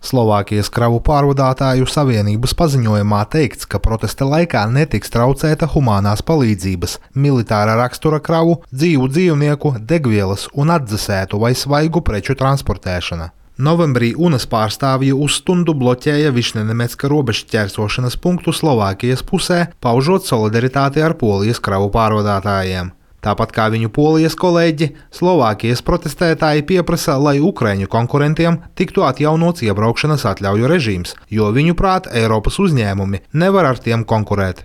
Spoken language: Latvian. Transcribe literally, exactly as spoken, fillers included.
Slovākijas kravu pārvadātāju savienības paziņojumā teikts, ka protesta laikā netiks traucēta humānās palīdzības, militāra rakstura kravu, dzīvu dzīvnieku, degvielas un atdzesētu vai svaigu preču transportēšana. Novembrī UNAS pārstāvji uz stundu bloķēja Višnenemecka robežšķērsošanas punktu Slovākijas pusē, paužot solidaritāti ar Polijas kravu pārvadātājiem. Tāpat kā viņu Polijas kolēģi, Slovākijas protestētāji pieprasa, lai ukraiņu konkurentiem tiktu atjaunots iebraukšanas atļauju režīms, jo viņuprāt Eiropas uzņēmumi nevar ar tiem konkurēt.